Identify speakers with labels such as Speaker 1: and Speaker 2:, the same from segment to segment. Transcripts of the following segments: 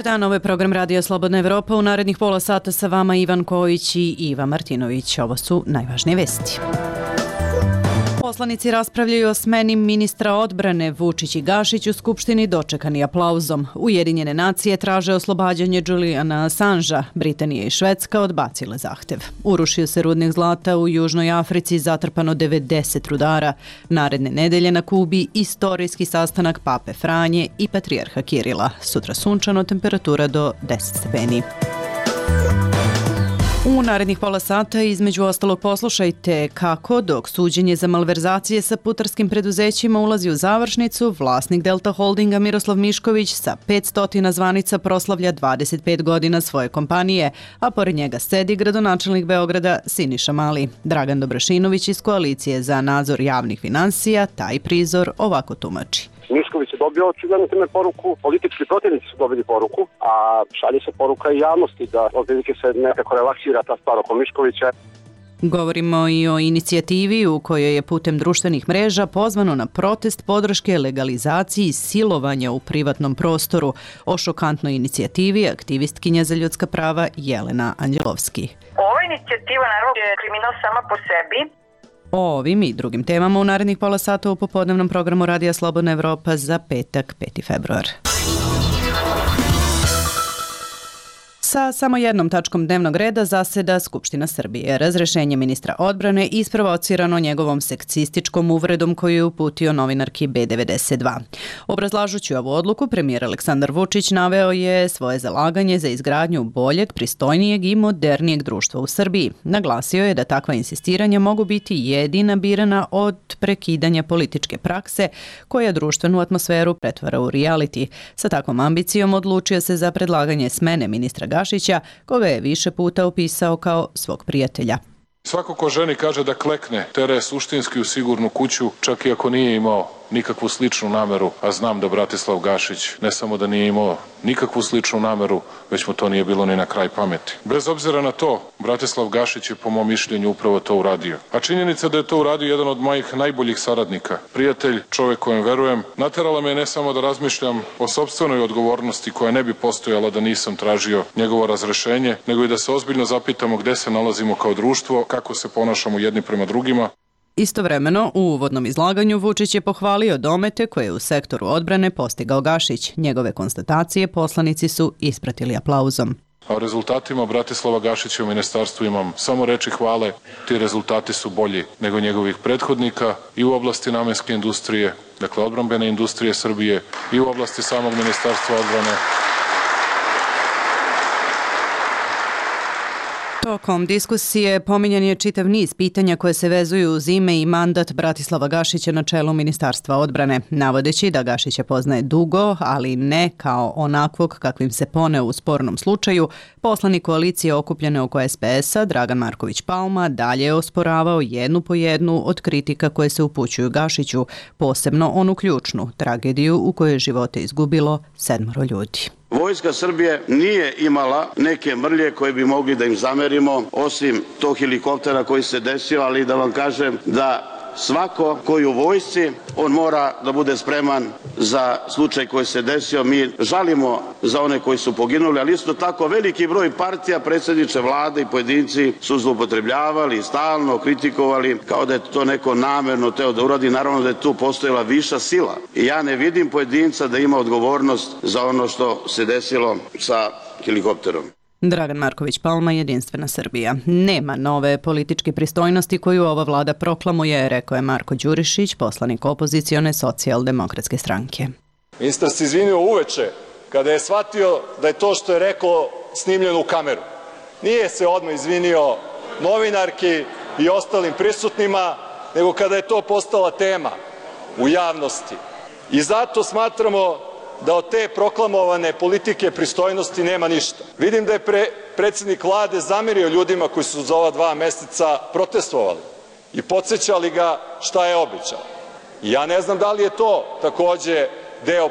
Speaker 1: Dobar dan, ovo je program Radija Slobodna Evropa. U narednih pola sata sa vama Ivan Kojić i Iva Martinović. Ovo su najvažnije vesti. Poslanici raspravljaju o smeni ministra odbrane. Vučić i Gašić u Skupštini dočekani aplauzom. Ujedinjene nacije traže oslobađanje Juliana Assangea. Britanija i Švedska odbacile zahtev. Urušio se rudnik zlata u Južnoj Africi, zatrpano 90 rudara. Naredne nedelje na Kubi istorijski sastanak Pape Franje i patrijarha Kirila. Sutra sunčano, temperatura do 10 stepeni. U narednih pola sata između ostalog poslušajte kako dok suđenje za malverzacije sa putarskim preduzećima ulazi u završnicu, vlasnik Delta Holdinga Miroslav Mišković sa 500 zvanica proslavlja 25 godina svoje kompanije, a pored njega sedi gradonačelnik Beograda Siniša Mali. Dragan Dobrašinović iz Koalicije za nadzor javnih finansija taj prizor ovako tumači.
Speaker 2: Mišković je dobio očigledno time poruku, politički protivnici su dobili poruku, a šalje se poruka i javnosti da otprilike se nekako relaksira ta stvar oko Miškovića.
Speaker 1: Govorimo i o inicijativi u kojoj je putem društvenih mreža pozvano na protest podrške legalizaciji silovanja u privatnom prostoru. O šokantnoj inicijativi aktivistkinja za ljudska prava Jelena Anđelovski.
Speaker 3: Ova inicijativa naravno je kriminal sama po sebi.
Speaker 1: O ovim i drugim temama u narednih pola sata u popodnevnom programu Radija Slobodna Evropa za petak, 5. februar. Sa samo jednom tačkom dnevnog reda zaseda Skupština Srbije. Razrešenje ministra odbrane isprovocirano njegovom seksističkom uvredom koju je uputio novinarki B92. Obrazlažući ovu odluku, premijer Aleksandar Vučić naveo je svoje zalaganje za izgradnju boljeg, pristojnijeg i modernijeg društva u Srbiji. Naglasio je da takva insistiranja mogu biti jedina birana od prekidanja političke prakse koja društvenu atmosferu pretvara u reality. Sa takvom ambicijom odlučio se za predlaganje smene ministra Gašića, koga je više puta opisao kao svog prijatelja.
Speaker 4: Svako ko ženi kaže da klekne, tere suštinski u sigurnu kuću, čak i ako nije imao nikakvu sličnu nameru, a znam da Bratislav Gašić ne samo da nije imao nikakvu sličnu nameru, već mu to nije bilo ni na kraj pameti. Bez obzira na to, Bratislav Gašić je po mom mišljenju upravo to uradio. A činjenica da je to uradio jedan od mojih najboljih saradnika, prijatelj, čovjek kojem verujem, naterala me ne samo da razmišljam o sopstvenoj odgovornosti koja ne bi postojala da nisam tražio njegovo razrešenje, nego i da se ozbiljno zapitamo gde se nalazimo kao društvo, kako se ponašamo jedni prema drugima.
Speaker 1: Istovremeno, u uvodnom izlaganju Vučić je pohvalio domete koje je u sektoru odbrane postigao Gašić. Njegove konstatacije poslanici su ispratili aplauzom.
Speaker 4: A o rezultatima Bratislava Gašića u ministarstvu imam samo reči hvale. Ti rezultati su bolji nego njegovih prethodnika i u oblasti namenske industrije, dakle odbrambene industrije Srbije, i u oblasti samog ministarstva odbrane.
Speaker 1: Tokom diskusije pominjan je čitav niz pitanja koje se vezuju uz ime i mandat Bratislava Gašića na čelu Ministarstva odbrane, navodeći da Gašića poznaje dugo, ali ne kao onakvog kakvim se poneo u spornom slučaju. Poslanik koalicije okupljene oko SPS-a, Dragan Marković Palma, dalje je osporavao jednu po jednu od kritika koje se upućuju Gašiću, posebno onu ključnu, tragediju u kojoj je živote izgubilo 7 ljudi.
Speaker 5: Vojska Srbije nije imala neke mrlje koje bi mogli da im zamerimo, osim tog helikoptera koji se desio, ali da vam kažem da svako koji u vojsci, on mora da bude spreman za slučaj koji se desio. Mi žalimo za one koji su poginuli, ali isto tako veliki broj partija, predsjedniče vlade i pojedinci su zloupotrebljavali i stalno kritikovali kao da je to neko namerno teo da uradi. Naravno da je tu postojala viša sila i ja ne vidim pojedinca da ima odgovornost za ono što se desilo sa helikopterom.
Speaker 1: Dragan Marković Palma, Jedinstvena Srbija. Nema nove političke pristojnosti koju ova vlada proklamuje, rekao je Marko Đurišić, poslanik opozicione socijaldemokratske stranke.
Speaker 6: Ministar se izvinio uveče kada je shvatio da je to što je rekao snimljeno u kameru. Nije se odmah izvinio novinarki i ostalim prisutnima, nego kada je to postala tema u javnosti. I zato smatramo da od te proklamovane politike pristojnosti nema ništa. Vidim da je predsjednik vlade zamerio ljudima koji su za ova 2 meseca protestovali i podsjećali ga šta je obećao. Ja ne znam da li je to takođe deo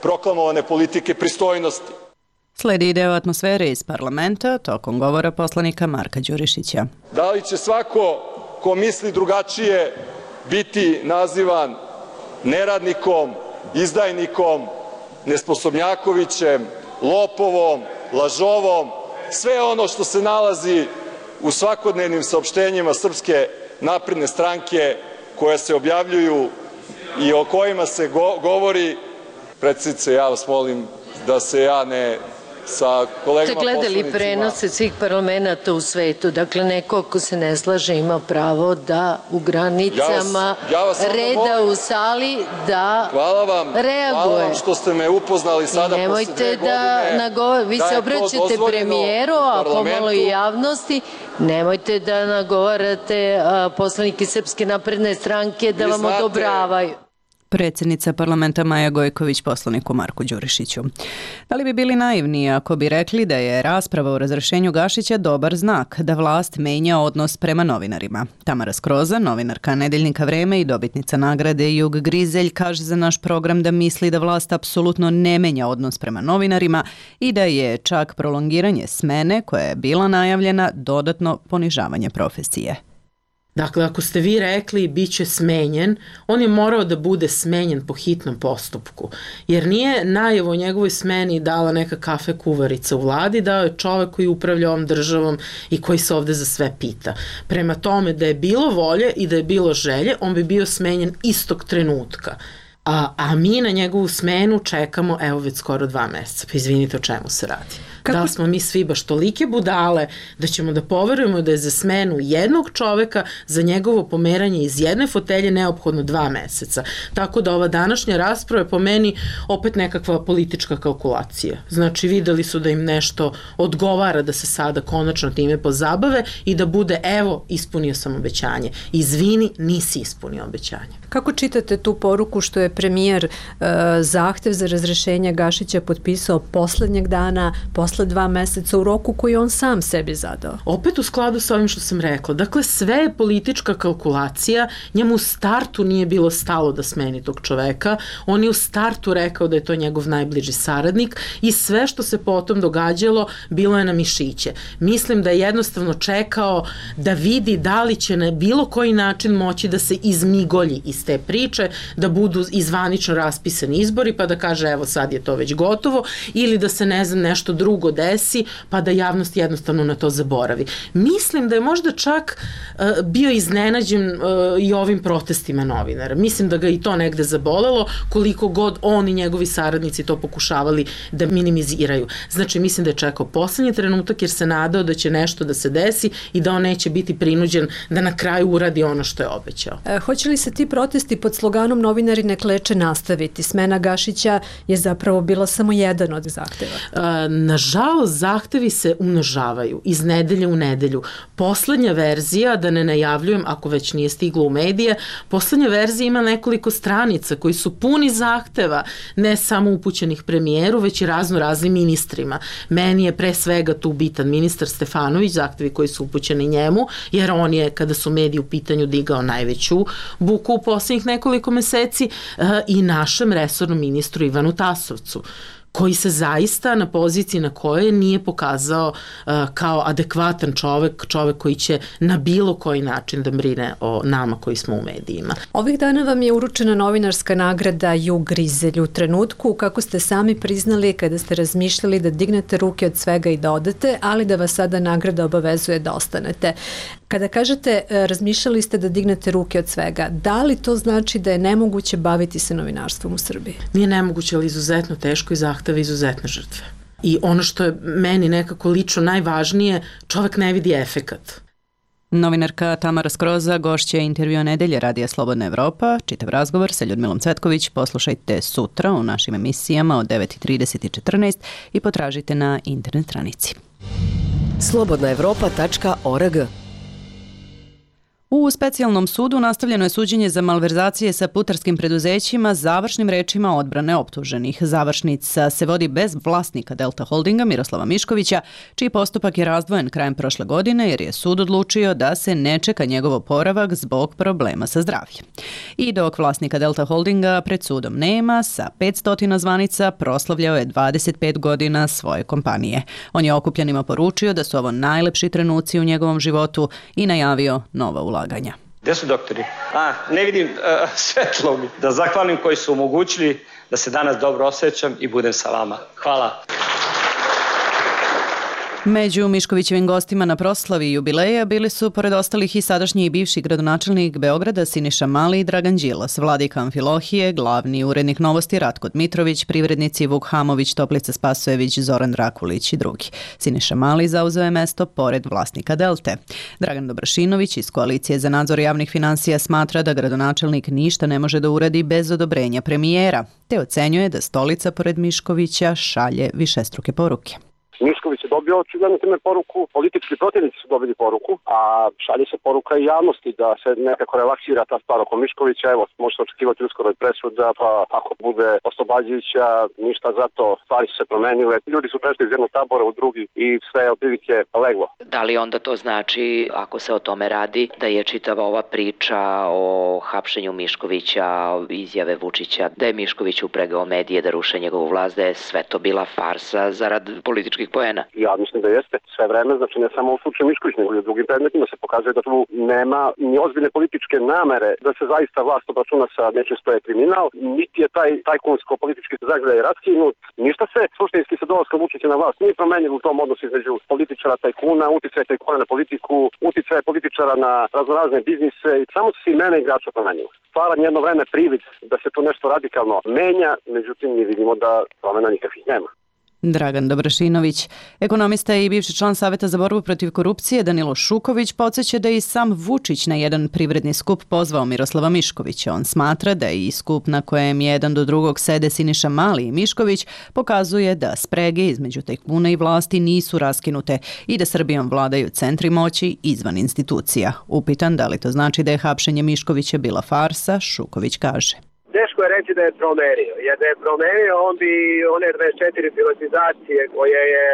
Speaker 6: proklamovane politike pristojnosti.
Speaker 1: Sledi deo atmosfere iz parlamenta tokom govora poslanika Marka Đurišića.
Speaker 6: Da li će svako ko misli drugačije biti nazivan neradnikom, izdajnikom, nesposobnjakovićem, lopovom, lažovom, sve ono što se nalazi u svakodnevnim saopštenjima Srpske napredne stranke koja se objavljuju i o kojima se govori. Predsednice, ja vas molim da se ja ne sa kolegama poslanicima...
Speaker 7: Ste gledali prenose svih parlamenta u svetu, dakle neko ko se ne slaže ima pravo da u granicama reda u sali da reaguje.
Speaker 6: Hvala vam što ste me upoznali sada posle 2 godine.
Speaker 7: Vi se obraćate premijeru, a pomalo i javnosti. Nemojte da nagovarate poslanike Srpske napredne stranke da vam odobravaju.
Speaker 1: Predsjednica parlamenta Maja Gojković poslaniku Marku Đurišiću. Da li bi bili naivni ako bi rekli da je rasprava o razrešenju Gašića dobar znak da vlast menja odnos prema novinarima? Tamara Skroza, novinarka Nedeljnika Vreme i dobitnica nagrade Jug Grizelj, kaže za naš program da misli da vlast apsolutno ne menja odnos prema novinarima i da je čak prolongiranje smene koja je bila najavljena dodatno ponižavanje profesije.
Speaker 8: Dakle, ako ste vi rekli bit će smenjen, on je morao da bude smenjen po hitnom postupku, jer nije najavu o njegovoj smeni dala neka kafe kuvarica u vladi, dao je čovek koji upravlja ovom državom i koji se ovde za sve pita. Prema tome, da je bilo volje i da je bilo želje, on bi bio smenjen istog trenutka. A mi na njegovu smenu čekamo, evo već skoro 2 meseca. Pa izvinite, o čemu se radi? Da li smo mi svi baš tolike budale da ćemo da poverujemo da je za smenu jednog čoveka, za njegovo pomeranje iz jedne fotelje neophodno 2 meseca. Tako da ova današnja rasprava je po meni opet nekakva politička kalkulacija. Znači videli su da im nešto odgovara da se sada konačno time pozabave i da bude evo ispunio sam obećanje. Izvini, nisi ispunio obećanje.
Speaker 9: Kako čitate tu poruku što je premijer zahtev za razrešenje Gašića potpisao poslednjeg dana, posle 2 meseca u roku koji on sam sebi zadao?
Speaker 8: Opet u skladu sa ovim što sam rekla. Dakle, sve je politička kalkulacija. Njemu u startu nije bilo stalo da smeni tog čoveka. On je u startu rekao da je to njegov najbliži saradnik i sve što se potom događalo bilo je na mišiće. Mislim da je jednostavno čekao da vidi da li će na bilo koji način moći da se izmigolji iz te priče, da budu izvanično raspisani izbori pa da kaže evo sad je to već gotovo ili da se ne znam nešto drugo desi pa da javnost jednostavno na to zaboravi. Mislim da je možda čak bio iznenađen i ovim protestima novinara. Mislim da ga i to negde zabolelo koliko god on i njegovi saradnici to pokušavali da minimiziraju. Znači mislim da je čekao poslednji trenutak jer se nadao da će nešto da se desi i da on neće biti prinuđen da na kraju uradi ono što je obećao.
Speaker 9: Hoće li se ti protesti pod sloganom novinari ne kleče nastaviti? Smena Gašića je zapravo bila samo jedan od zahteva.
Speaker 8: Nažalost, zahtevi se umnožavaju iz nedelje u nedelju. Poslednja verzija, da ne najavljujem ako već nije stiglo u medije, poslednja verzija ima nekoliko stranica koji su puni zahteva, ne samo upućenih premijeru, već i raznim ministrima. Meni je pre svega tu bitan ministar Stefanović, zahtevi koji su upućeni njemu, jer on je, kada su mediji u pitanju, digao najveću buku u poslednjih nekoliko meseci i našem resornom ministru Ivanu Tasovcu, koji se zaista na poziciji na kojoj nije pokazao kao adekvatan čovek koji će na bilo koji način da brine o nama koji smo u medijima.
Speaker 9: Ovih dana vam je uručena novinarska nagrada Jug Grizelj u trenutku kako ste sami priznali kada ste razmišljali da dignete ruke od svega i da odete, ali da vas sada nagrada obavezuje da ostanete. Kada kažete razmišljali ste da dignete ruke od svega, da li to znači da je nemoguće baviti se novinarstvom u Srbiji?
Speaker 8: Nije nemoguće, ali izuzetno teško i zahteva izuzetne žrtve. I ono što je meni nekako lično najvažnije, čovek ne vidi efekat.
Speaker 1: Novinarka Tamara Skroza, gošća intervjua Nedelje Radija Slobodna Evropa. Čitav razgovor sa Ljudmilom Cvetković poslušajte sutra u našim emisijama od 9:30 i 14 i potražite na internet stranici.
Speaker 10: slobodnaevropa.org.
Speaker 1: U specijalnom sudu nastavljeno je suđenje za malverzacije sa putarskim preduzećima završnim rečima odbrane optuženih. Završnica se vodi bez vlasnika Delta Holdinga Miroslava Miškovića, čiji postupak je razdvojen krajem prošle godine jer je sud odlučio da se ne čeka njegov oporavak zbog problema sa zdravljem. I dok vlasnika Delta Holdinga pred sudom nema, sa 500 zvanica proslavljao je 25 godina svoje kompanije. On je okupljanima poručio da su ovo najlepši trenuci u njegovom životu i najavio nova ulaganja.
Speaker 11: Gde su doktori? Ne vidim svetlo mi. Da zahvalim koji su omogućili da se danas dobro osjećam i budem sa vama. Hvala.
Speaker 1: Među Miškovićevim gostima na proslavi jubileja bili su, pored ostalih, i sadašnji i bivši gradonačelnik Beograda Siniša Mali i Dragan Đilas, vladika Amfilohije, glavni urednik Novosti Ratko Dmitrović, privrednici Vuk Hamović, Toplica Spasojević, Zoran Drakulić i drugi. Siniša Mali zauzeo je mesto pored vlasnika Delte. Dragan Dobrašinović iz Koalicije za nadzor javnih finansija smatra da gradonačelnik ništa ne može da uradi bez odobrenja premijera, te ocenjuje da stolica pored Miškovića šalje višestruke poruke.
Speaker 2: Mišković je dobio očigledno time poruku, politički protivnici su dobili poruku, a šalje se poruka i javnosti da se nekako relaksira ta stvar oko Miškovića. Evo, možete očekivati uskoro i presuda, pa ako bude oslobađajuća, ništa za to, stvari su se promenile. Ljudi su prešli iz jednog tabora u drugi i sve je otprilike leglo.
Speaker 10: Da li onda to znači, ako se o tome radi, da je čitava ova priča o hapšenju Miškovića, izjave Vučića, da je Mišković upregao medije da ruše njegovu vlast, da je sve to bila farsa zarad političkih poena?
Speaker 2: Ja mislim da jeste sve vreme, znači ne samo u slučaju Mišković, nego i u drugim predmetima se pokazuje da tu nema ni ozbiljne političke namere da se zaista vlast obračuna sa nečim što je kriminal, niti je taj tajkunsko-politički zagrljaj raskinut, ništa se suštinski sa dolaskom Vučića na vlast nije promenilo u tom odnosu između političara tajkuna, uticaj tajkuna na politiku, uticaj političara na raznorazne biznise i samo su se imena igrača promenilo. Stvaran jedno vreme privid da se tu nešto radikalno menja, međutim mi vidimo da promena nikakvih nema.
Speaker 1: Dragan Dobrašinović. Ekonomista i bivši član Saveta za borbu protiv korupcije Danilo Šuković podsjeća da je i sam Vučić na jedan privredni skup pozvao Miroslava Miškovića. On smatra da i skup na kojem jedan do drugog sede Siniša Mali i Mišković pokazuje da sprege između tajkuna i vlasti nisu raskinute i da Srbijom vladaju centri moći izvan institucija. Upitan da li to znači da je hapšenje Miškovića bila farsa, Šuković kaže.
Speaker 12: Teško je reći da je promenio, jer da je promenio on bi one 24 privatizacije koje je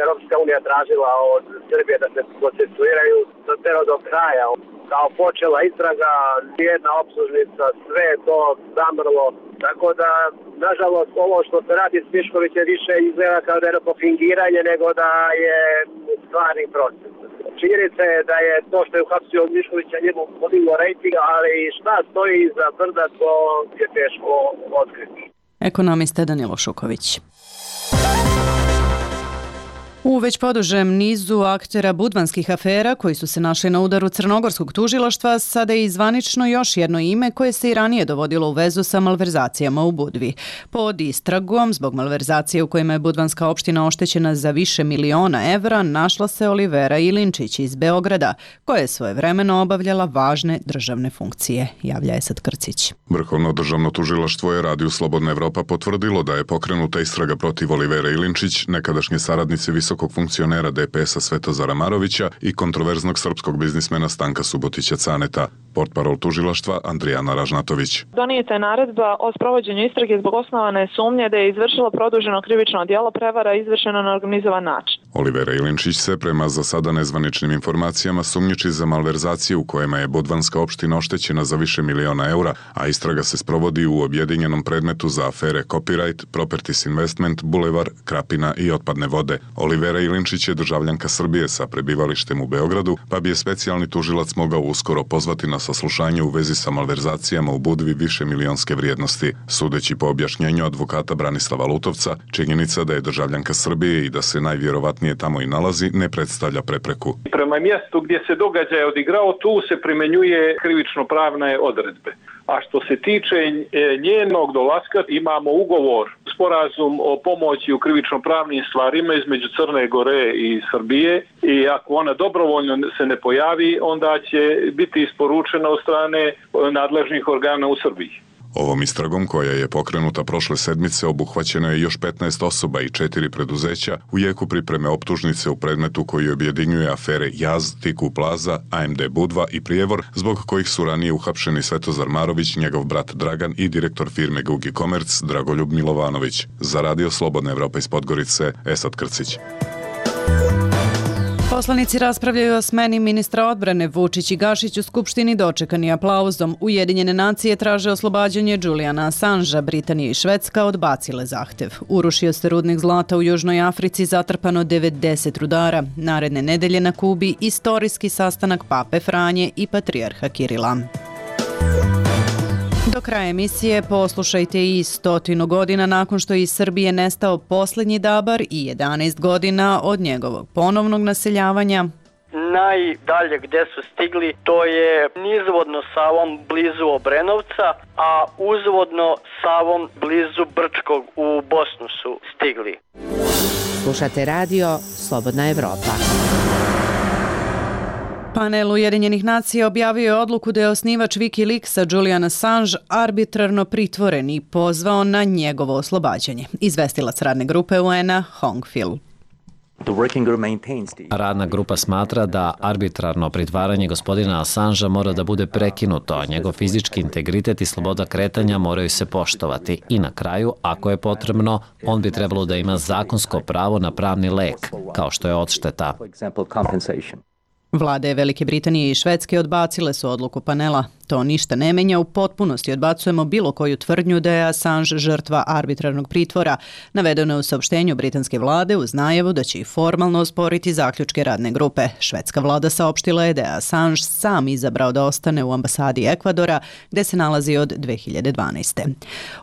Speaker 12: Europska unija tražila od Srbije da se procesuiraju doterao do kraja. Kao počela istraga, jedna optužnica, sve je to zamrlo. Tako da, nažalost, ovo što se radi s Miškovićem više izgleda kao da je neko fingiranje nego da je stvarni proces. Činjenica je da je to što je uhapsio Miškovića njemu podiglo rejting, ali šta stoji iza brda, to je teško otkriti.
Speaker 1: Ekonomista Danilo Šuković. U već podužem nizu aktera budvanskih afera koji su se našli na udaru crnogorskog tužilaštva, sada je zvanično još jedno ime koje se i ranije dovodilo u vezu sa malverzacijama u Budvi. Pod istragom, zbog malverzacije u kojima je budvanska opština oštećena za više miliona evra, našla se Olivera Ilinčić iz Beograda, koja je svojevremeno obavljala važne državne funkcije, javlja Esad Krcić.
Speaker 13: Vrhovno državno tužilaštvo je Radiju Slobodna Evropa potvrdilo da je pokrenuta istraga protiv Olivera Ilinčić, nekadašnje saradnice visokog funkcionera DPS-a Svetozara Marovića i kontroverznog srpskog biznismena Stanka Subotića Caneta. Portparol tužilaštva Andrijana Ražnatović.
Speaker 14: Donijeta je naredba o sprovođenju istrage zbog osnovane sumnje da je izvršilo produženo krivično djelo prevara izvršeno na organizovan način.
Speaker 13: Olivera Ilinčić se prema za sada nezvaničnim informacijama sumnjiči za malverzacije u kojima je budvanska opština oštećena za više miliona eura, a istraga se sprovodi u objedinjenom predmetu za afere Copyright, Properties Investment, Bulevar, Krapina i otpadne vode. Olivera Ilinčić je državljanka Srbije sa prebivalištem u Beogradu, pa bi je specijalni tužilac mogao uskoro pozvati na saslušanje u vezi sa malverzacijama u Budvi više milionske vrijednosti. Sudeći po objašnjenju advokata Branislava Lutovca, činjenica da je državljanka Srbije i da se najvjerovatnije tamo i nalazi ne predstavlja prepreku.
Speaker 15: Prema mjestu gdje se događaj odigrao, tu se primenjuje krivično-pravne odredbe. A što se tiče njenog dolaska, imamo ugovor, sporazum o pomoći u krivično-pravnim stvarima između Crne Gore i Srbije i ako ona dobrovoljno se ne pojavi, onda će biti isporučena od strane nadležnih organa u Srbiji.
Speaker 13: Ovom istragom, koja je pokrenuta prošle sedmice, obuhvaćeno je još 15 osoba i 4 preduzeća u jeku pripreme optužnice u predmetu koji objedinjuje afere Jaz, Tiku Plaza, AMD Budva i Prijevor, zbog kojih su ranije uhapšeni Svetozar Marović, njegov brat Dragan i direktor firme Gugi Komerc Dragoljub Milovanović. Za Radio Slobodna Evropa iz Podgorice, Esad Krcić.
Speaker 1: Poslanici raspravljaju o smeni ministra odbrane. Vučić i Gašić u Skupštini dočekani aplauzom. Ujedinjene nacije traže oslobađanje Juliana Assangea. Britanija i Švedska odbacile zahtev. Urušio se rudnik zlata u Južnoj Africi, zatrpano 90 rudara. Naredne nedelje na Kubi istorijski sastanak Pape Franje i patrijarha Kirila. Do kraja emisije poslušajte i 100 godina nakon što je iz Srbije nestao poslednji dabar i 11 godina od njegovog ponovnog naseljavanja.
Speaker 16: Najdalje gde su stigli to je nizvodno Savom blizu Obrenovca, a uzvodno Savom blizu Brčkog u Bosnu su stigli.
Speaker 17: Slušate radio Slobodna Evropa.
Speaker 1: Panel Ujedinjenih nacija objavio je odluku da je osnivač Wikileaksa Julian Assange arbitrarno pritvoren i pozvao na njegovo oslobađanje. Izvestilac radne grupe UN-a Hong Phil.
Speaker 18: Radna grupa smatra da arbitrarno pritvaranje gospodina Assangea mora da bude prekinuto, a njegov fizički integritet i sloboda kretanja moraju se poštovati. I na kraju, ako je potrebno, on bi trebalo da ima zakonsko pravo na pravni lek, kao što je odšteta.
Speaker 1: Vlade Velike Britanije i Švedske odbacile su odluku panela. To ništa ne menja, u potpunosti odbacujemo bilo koju tvrdnju da je Assange žrtva arbitrarnog pritvora. Navedeno je u saopštenju britanske vlade uz najavu da će i formalno osporiti zaključke radne grupe. Švedska vlada saopštila je da je Assange sam izabrao da ostane u ambasadi Ekvadora, gde se nalazi od 2012.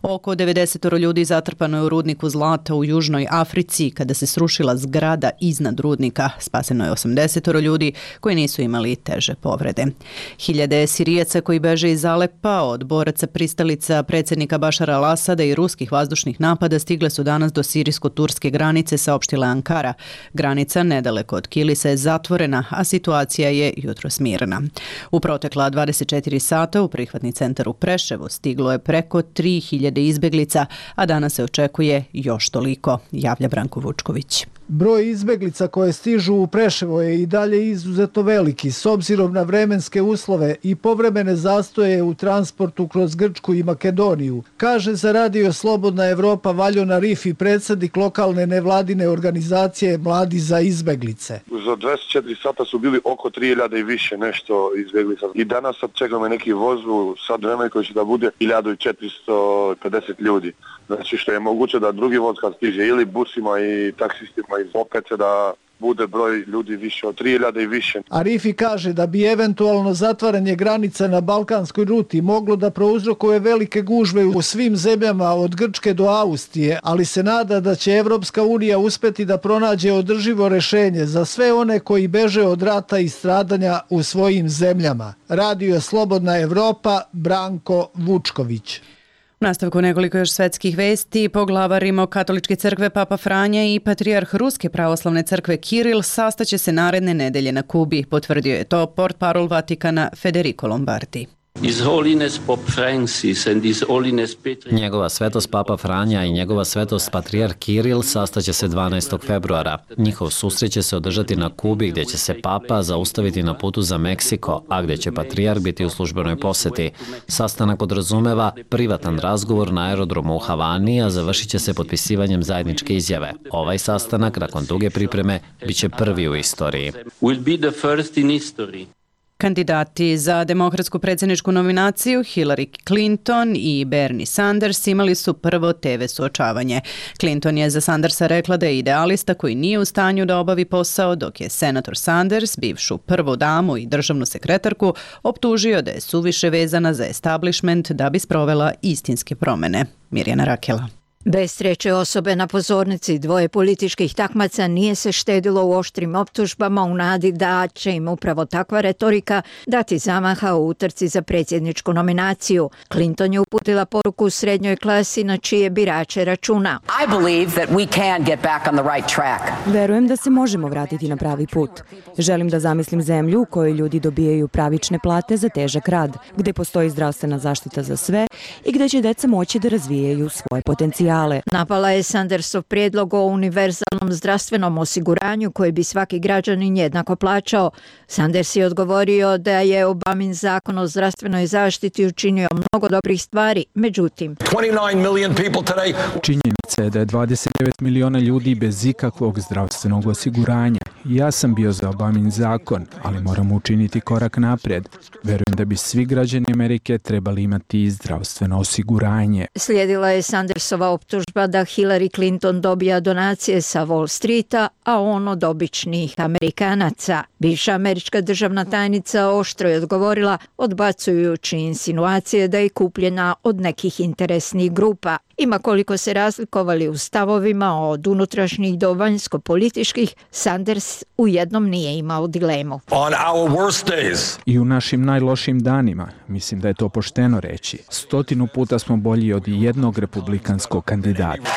Speaker 1: Oko 90 ljudi zatrpano je u rudniku zlata u Južnoj Africi kada se srušila zgrada iznad rudnika. Spaseno je 80 ljudi koji nisu imali teže povrede. Hiljade Sirijaca koji beže iz Alepa od boraca pristalica predsjednika Bašara al-Asada i ruskih vazdušnih napada stigle su danas do sirijsko-turske granice, saopštila Ankara. Granica nedaleko od Kilisa je zatvorena, a situacija je jutros mirna. U protekla 24 sata u prihvatni centar u Preševu stiglo je preko 3000 izbeglica, a danas se očekuje još toliko, javlja Branko Vučković.
Speaker 19: Broj izbeglica koje stižu u Preševo je i dalje izuzetno veliki, s obzirom na vremenske uslove i povremene zastoje u transportu kroz Grčku i Makedoniju, kaže za radio Slobodna Evropa Valjon Arifi, predsjednik lokalne nevladine organizacije Mladi za izbeglice.
Speaker 20: Za 24 sata su bili oko 3000 i više nešto izbeglica. I danas sad čekamo neki voz u sad vremena koji će da bude 1450 ljudi. Znači što je moguće da drugi voz kad stiže ili busima i taksistima opet da bude broj ljudi više od 3000 i više.
Speaker 19: Arifi kaže da bi eventualno zatvaranje granica na balkanskoj ruti moglo da prouzrokuje velike gužve u svim zemljama od Grčke do Austrije, ali se nada da će Evropska unija uspeti da pronađe održivo rešenje za sve one koji beže od rata i stradanja u svojim zemljama. Radio Slobodna Evropa, Branko Vučković.
Speaker 1: U nastavku nekoliko još svetskih vesti. Poglavar Rimokatoličke crkve Papa Franja i patrijarh Ruske pravoslavne crkve Kiril sastaće se naredne nedelje na Kubi. Potvrdio je to portparol Vatikana Federico Lombardi.
Speaker 18: Njegova svetost Papa Franja i njegova svetost patrijarh Kiril sastaće se 12. februara. Njihov susret će se održati na Kubi gdje će se Papa zaustaviti na putu za Meksiko, a gdje će patrijarh biti u službenoj poseti. Sastanak podrazumeva privatan razgovor na aerodromu u Havani, a završit će se potpisivanjem zajedničke izjave. Ovaj sastanak, nakon duge pripreme, bit će prvi u istoriji.
Speaker 1: Kandidati za demokratsku predsjedničku nominaciju Hillary Clinton i Bernie Sanders imali su prvo TV suočavanje. Clinton je za Sandersa rekla da je idealista koji nije u stanju da obavi posao, dok je senator Sanders, bivšu prvu damu i državnu sekretarku, optužio da je suviše vezana za establishment da bi sprovela istinske promjene. Mirjana Rakela.
Speaker 21: Bez treće osobe na pozornici dvoje političkih takmaca nije se štedilo u oštrim optužbama u nadi da će im upravo takva retorika dati zamaha u utrci za predsjedničku nominaciju. Clinton je uputila poruku u srednjoj klasi na čije birače računa.
Speaker 22: Verujem da se možemo vratiti na pravi put. Želim da zamislim zemlju u kojoj ljudi dobijaju pravične plate za težak rad, gde postoji zdravstvena zaštita za sve i gde će deca moći da razvijaju svoje potencijale.
Speaker 21: Napala je Sandersov prijedlog o univerzalnom zdravstvenom osiguranju koji bi svaki građanin jednako plaćao. Sanders je odgovorio da je Obamin zakon o zdravstvenoj zaštiti učinio mnogo dobrih stvari, međutim...
Speaker 23: Činjenica je da je 29 miliona ljudi bez ikakvog zdravstvenog osiguranja
Speaker 3: Ja sam bio za Obamin zakon, ali moramo učiniti korak naprijed. Verujem da bi svi građani Amerike trebali imati zdravstveno osiguranje.
Speaker 21: Slijedila je Sandersova optužba da Hillary Clinton dobija donacije sa Wall Streeta, a on od običnih Amerikanaca. Bivša američka državna tajnica oštro je odgovorila, odbacujući insinuacije da je kupljena od nekih interesnih grupa. Ima koliko se razlikovali u stavovima od unutrašnjih do vanjsko-političkih, Sanders u jednom nije imao dilemu.
Speaker 3: I u našim najlošim danima, mislim da je to pošteno reći, 100 puta smo bolji od jednog republikanskog kandidata.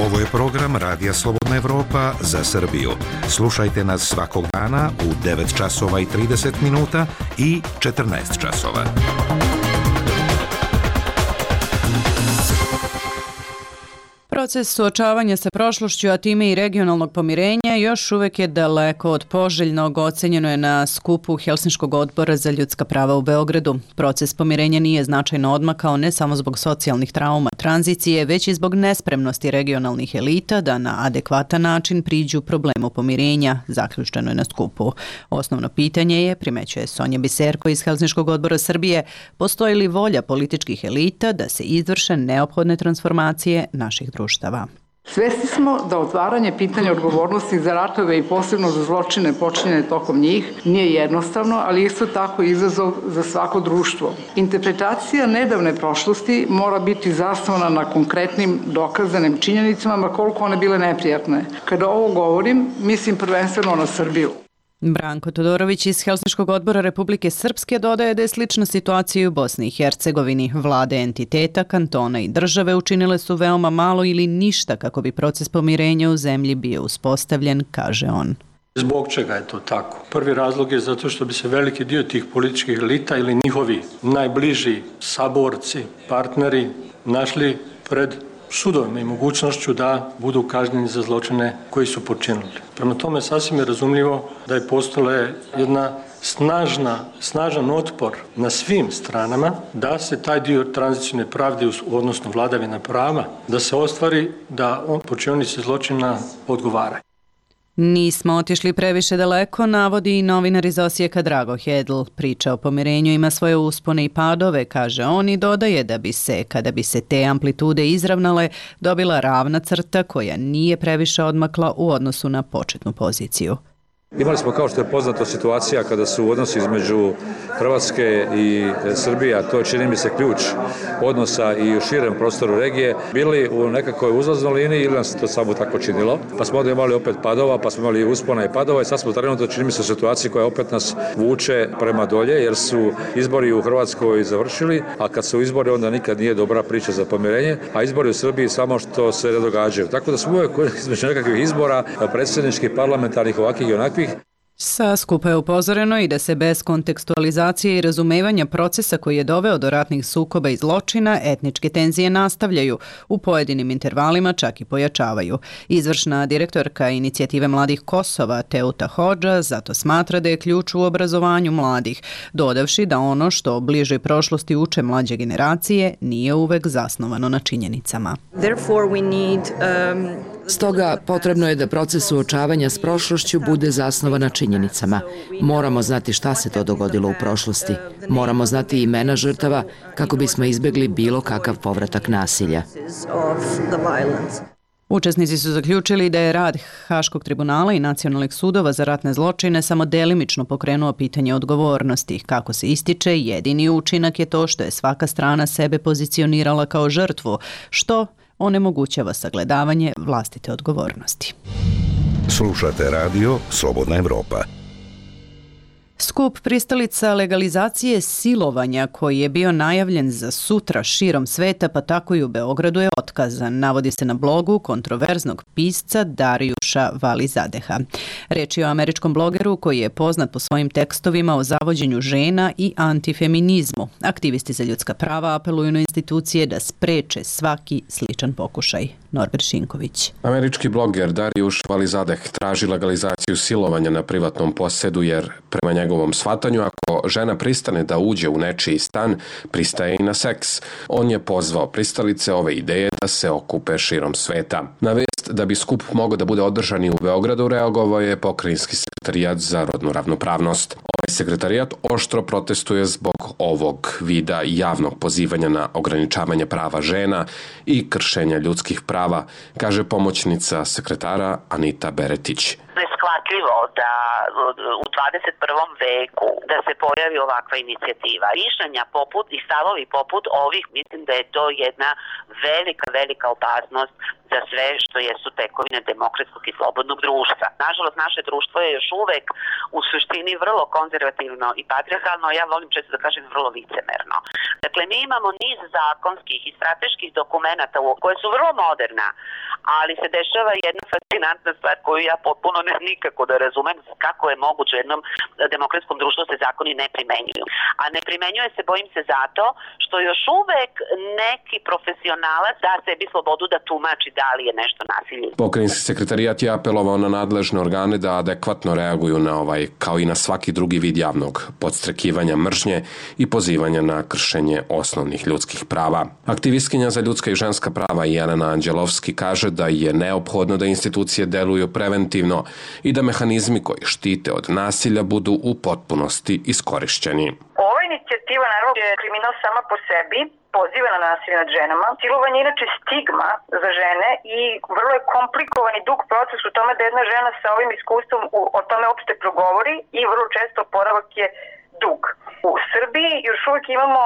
Speaker 4: Ovo je program Radija Slobodna Evropa za Srbiju. Slušajte nas svakog dana u 9 časova i 30 minuta i 14 časova.
Speaker 1: Proces suočavanja sa prošlošću, a time i regionalnog pomirenja, još uvek je daleko od poželjnog, ocenjeno je na skupu Helsinškog odbora za ljudska prava u Beogradu. Proces pomirenja nije značajno odmakao ne samo zbog socijalnih trauma tranzicije, već i zbog nespremnosti regionalnih elita da na adekvatan način priđu problemu pomirenja, zaključeno je na skupu. Osnovno pitanje je, primećuje Sonja Biserko iz Helsinškog odbora Srbije, postoji li volja političkih elita da se izvrše neophodne transformacije naših društva.
Speaker 23: Svesni smo da otvaranje pitanja odgovornosti za ratove i posebno za zločine počinjene tokom njih nije jednostavno, ali isto tako izazov za svako društvo. Interpretacija nedavne prošlosti mora biti zasnovana na konkretnim dokazanim činjenicama, ma koliko one bile neprijatne. Kada ovo govorim, mislim prvenstveno na Srbiju.
Speaker 1: Branko Todorović iz Helsinškog odbora Republike Srpske dodaje da je slična situacija u Bosni i Hercegovini. Vlade entiteta, kantona i države učinile su veoma malo ili ništa kako bi proces pomirenja u zemlji bio uspostavljen, kaže on.
Speaker 24: Zbog čega je to tako? Prvi razlog je zato što bi se veliki dio tih političkih elita ili njihovi najbliži saborci, partneri našli pred sudovima i mogućnošću da budu kažnjeni za zločine koji su počinili. Prema tome sasvim je razumljivo da je postojala jedna snažan otpor na svim stranama da se taj dio tranzicijne pravde, odnosno vladavine prava, da se ostvari da počinilac zločina odgovara.
Speaker 1: Nismo otišli previše daleko, navodi i novinar iz Osijeka Drago Hedl. Priča o pomirenju ima svoje uspone i padove, kaže on, i dodaje da bi se, kada bi se te amplitude izravnale, dobila ravna crta koja nije previše odmakla u odnosu na početnu poziciju.
Speaker 25: Imali smo, kao što je poznato, situacija kada su odnosi između Hrvatske i Srbije, a to je, čini mi se, ključ odnosa i u širem prostoru regije, bili u nekakvoj uzlaznoj liniji ili nam se to samo tako činilo. Pa smo onda imali opet padova, pa smo imali uspona i padova i sad smo trenutno, čini mi se, u situaciji koja opet nas vuče prema dolje, jer su izbori u Hrvatskoj završili, a kad su izbori onda nikad nije dobra priča za pomirenje, a izbori u Srbiji samo što se ne događaju. Tako da smo uvijek između nekakvih izbora, predsjedničkih, parlamentarnih, ovakvih i onakvih.
Speaker 1: Sa skupa je upozoreno i da se bez kontekstualizacije i razumevanja procesa koji je doveo do ratnih sukoba i zločina, etničke tenzije nastavljaju, u pojedinim intervalima čak i pojačavaju. Izvršna direktorka Inicijative mladih Kosova, Teuta Hodža, zato smatra da je ključ u obrazovanju mladih, dodavši da ono što o bližoj prošlosti uče mlađe generacije nije uvek zasnovano na činjenicama.
Speaker 26: Stoga potrebno je da proces suočavanja s prošlošću bude zasnovan na činjenicama. Moramo znati šta se to dogodilo u prošlosti. Moramo znati imena žrtava kako bismo izbjegli bilo kakav povratak nasilja.
Speaker 1: Učesnici su zaključili da je rad Haškog tribunala i nacionalnih sudova za ratne zločine samo delimično pokrenuo pitanje odgovornosti. Kako se ističe, jedini učinak je to što je svaka strana sebe pozicionirala kao žrtvu, što onemogućava sagledavanje vlastite odgovornosti.
Speaker 4: Slušate radio Slobodna Evropa.
Speaker 1: Skup pristalica legalizacije silovanja koji je bio najavljen za sutra širom sveta, pa tako i u Beogradu, je otkazan, navodi se na blogu kontroverznog pisca Darijuša Valizadeha. Reč je o američkom blogeru koji je poznat po svojim tekstovima o zavođenju žena i antifeminizmu. Aktivisti za ljudska prava apeluju na institucije da spreče svaki sličan pokušaj. Norbert Šinković.
Speaker 27: Američki bloger Darijuš Valizadeh traži legalizaciju silovanja na privatnom posedu jer prema njegovom
Speaker 5: njegovom shvatanju, ako žena pristane da uđe u nečiji stan, pristaje i na seks. On je pozvao pristalice ove ideje da se okupe širom sveta. Na vest da bi skup mogao da bude održan i u Beogradu reagovao je Pokrajinski sekretarijat za rodnu ravnopravnost. Ovaj sekretarijat oštro protestuje zbog ovog vida javnog pozivanja na ograničavanje prava žena i kršenja ljudskih prava, kaže pomoćnica sekretara Anita Beretić.
Speaker 6: Neshvatljivo da u 21. veku da se pojavi ovakva inicijativa. Mišljenja poput i stavovi poput ovih, mislim da je to jedna velika opasnost za sve što jesu tekovine demokratskog i slobodnog društva. Nažalost, naše društvo je još uvek u suštini vrlo konzervativno i patrijarhalno, ja volim često da kažem vrlo licemerno. Dakle, mi imamo niz zakonskih i strateških dokumenata koje su vrlo moderna, ali se dešava jedna fascinantna stvar koju ja potpuno nikako da razumem kako je moguće u jednom demokratskom društvu se zakoni ne primenjuju. A ne primenjuje se, bojim se, zato što još uvek neki profesionalac da sebi slobodu da tumači da li je nešto nasilje.
Speaker 5: Pokrajinski sekretarijat je apelovao na nadležne organe da adekvatno reaguju na ovaj, kao i na svaki drugi vid javnog podstrekivanja mržnje i pozivanja na kršenje osnovnih ljudskih prava. Aktivistkinja za ljudska i ženska prava Jelena Anđelovski kaže da je neophodno da institucije deluju preventivno i da mehanizmi koji štite od nasilja budu u potpunosti iskorišćeni.
Speaker 7: Ova inicijativa naravno je kriminal sama po sebi, poziva na nasilje nad ženama. Silovanje je inače stigma za žene i vrlo je komplikovan i dug proces u tome da jedna žena sa ovim iskustvom o tome uopšte progovori i vrlo često oporavak je dug. U Srbiji još uvijek imamo,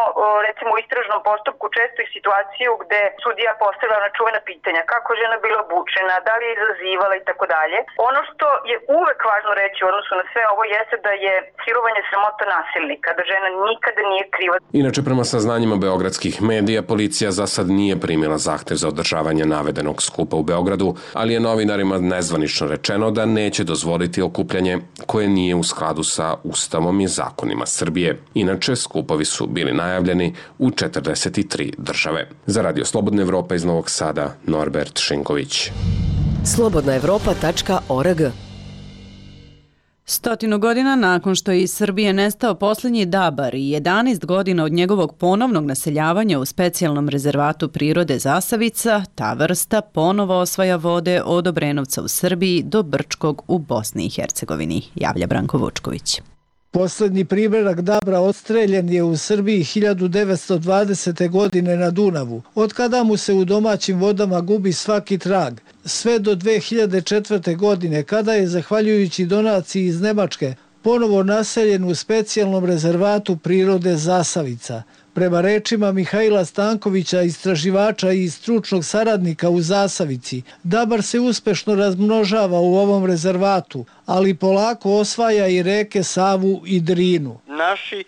Speaker 7: recimo u istražnom postupku, često i situaciju gde sudija postavlja na čuvena pitanja kako je žena bila obučena, da li je izazivala i tako dalje. Ono što je uvek važno reći u odnosu na sve ovo jeste da je silovanje sramota nasilnika, da žena nikada nije kriva.
Speaker 5: Inače, prema saznanjima beogradskih medija, policija za sad nije primila zahtev za održavanje navedenog skupa u Beogradu, ali je novinarima nezvanično rečeno da neće dozvoliti okupljanje koje nije u skladu sa Ustavom i zakonima Srbije. Inače, skupovi su bili najavljeni u 43 države. Za Radio Slobodna Evropa iz Novog Sada, Norbert Šinković.
Speaker 8: slobodnaevropa.org
Speaker 1: 100 godina nakon što je iz Srbije nestao posljednji dabar i 11 godina od njegovog ponovnog naseljavanja u specijalnom rezervatu prirode Zasavica, ta vrsta ponovo osvaja vode od Obrenovca u Srbiji do Brčkog u Bosni i Hercegovini, javlja Branko Vučković.
Speaker 19: Poslednji primjerak dabra odstreljen je u Srbiji 1920. godine na Dunavu, od kada mu se u domaćim vodama gubi svaki trag, sve do 2004. godine, kada je, zahvaljujući donaciji iz Nemačke, ponovo naseljen u specijalnom rezervatu prirode Zasavica. Prema rečima Mihajla Stankovića, istraživača i stručnog saradnika u Zasavici, dabar se uspešno razmnožava u ovom rezervatu, ali polako osvaja i reke Savu i Drinu.
Speaker 16: Naši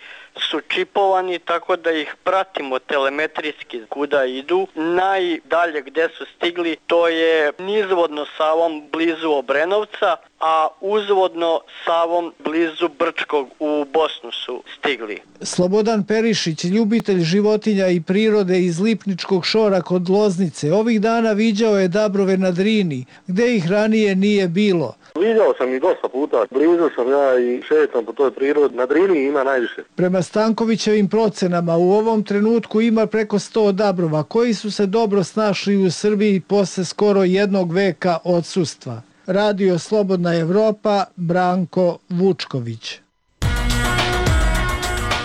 Speaker 16: su čipovani tako da ih pratimo telemetrijski kuda idu. Najdalje gde su stigli to je nizvodno Savom blizu Obrenovca, a uzvodno Savom blizu Brčkog u Bosnu su stigli.
Speaker 19: Slobodan Perišić, ljubitelj životinja i prirode iz Lipničkog šora kod Loznice, ovih dana viđao je dabrove na Drini, gde ih ranije nije bilo.
Speaker 20: Viđao sam ih dosta puta, blizu sam ja i šetam po toj prirodi, na Drini ima najviše.
Speaker 19: Prema Stankovićevim procenama u ovom trenutku ima preko 100 dabrova koji su se dobro snašli u Srbiji posle skoro jednog veka odsustva. Radio Slobodna Evropa, Branko Vučković.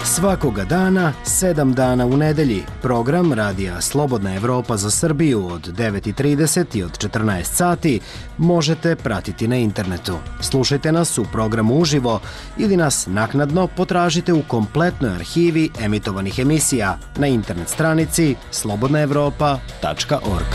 Speaker 9: Svakoga dana, 7 dana u nedelji, program Radija Slobodna Evropa za Srbiju od 9:30 i od 14 sati možete pratiti na internetu. Slušajte nas u programu uživo ili nas naknadno potražite u kompletnoj arhivi emitovanih emisija na internet stranici slobodnaevropa.org.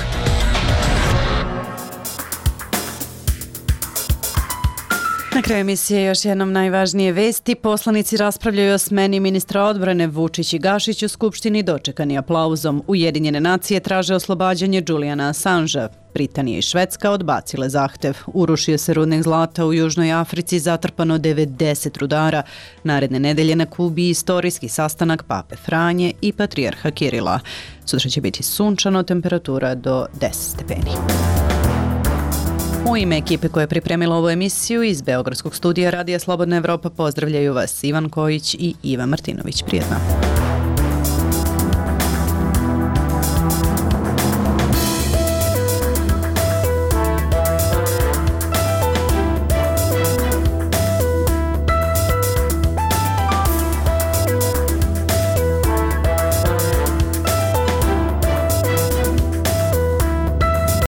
Speaker 1: Na kraju emisije još jednom najvažnije vesti. Poslanici raspravljaju o smeni ministra odbrane. Vučić i Gašić u Skupštini dočekani aplauzom. Ujedinjene nacije traže oslobađanje Julijana Assangea. Britanija i Švedska odbacile zahtev. Urušio se rudnik zlata u Južnoj Africi, zatrpano 90 rudara. Naredne nedelje na Kubi istorijski sastanak Pape Franje i patrijarha Kirila. Sutra će biti sunčano, temperatura do 10 stepeni. U ime ekipe koja je pripremila ovu emisiju iz Beogradskog studija Radija Slobodna Evropa pozdravljaju vas Ivan Kojić i Iva Martinović. Prijetno.